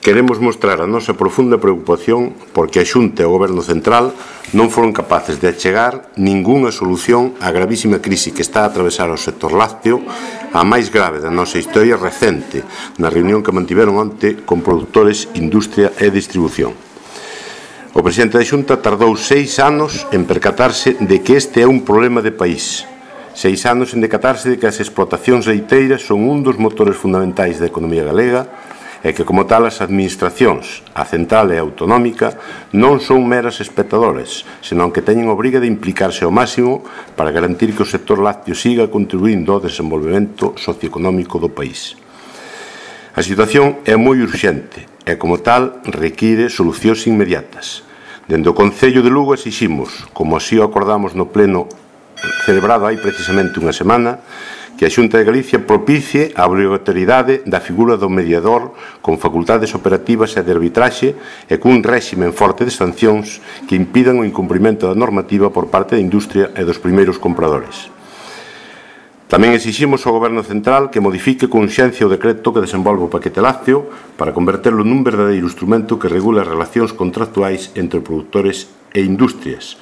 queremos mostrar a nosa profunda preocupación porque a Xunta e o Goberno Central non foron capaces de achegar ningunha solución á gravísima crise que está a atravesar o sector lácteo, a máis grave da nosa historia recente, na reunión que mantiveron onte con produtores, industria e distribución. O presidente da Xunta tardou 6 anos en percatarse de que este é un problema de país. 6 anos en decatarse de que as explotacións leiteiras son un dos motores fundamentais da economía galega e que, como tal, as administracións, a central e a autonómica, non son meras espectadores, senón que teñen obriga de implicarse ao máximo para garantir que o sector lácteo siga contribuindo ao desenvolvemento socioeconómico do país. A situación é moi urxente e, como tal, require solucións inmediatas. Dende o Concello de Lugo exiximos, como así o acordamos no pleno celebrado hai precisamente unha semana, que a Xunta de Galicia propicie a obrigatoriedade da figura do mediador con facultades operativas e de arbitraxe e cun réximen forte de sancións que impidan o incumprimento da normativa por parte da industria e dos primeiros compradores. Tamén exiximos ao Goberno Central que modifique con urxencia o decreto que desenvolve o paquete lácteo para converterlo nun verdadeiro instrumento que regule as relacións contractuais entre produtores e industrias,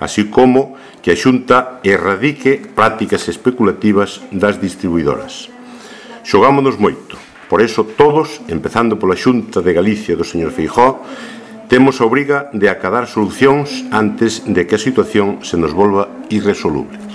así como que a Xunta erradique prácticas especulativas das distribuidoras. Xogámonos moito, por eso todos, empezando pola Xunta de Galicia do señor Feijóo, temos a obriga de acadar solucións antes de que a situación se nos volva irresoluble.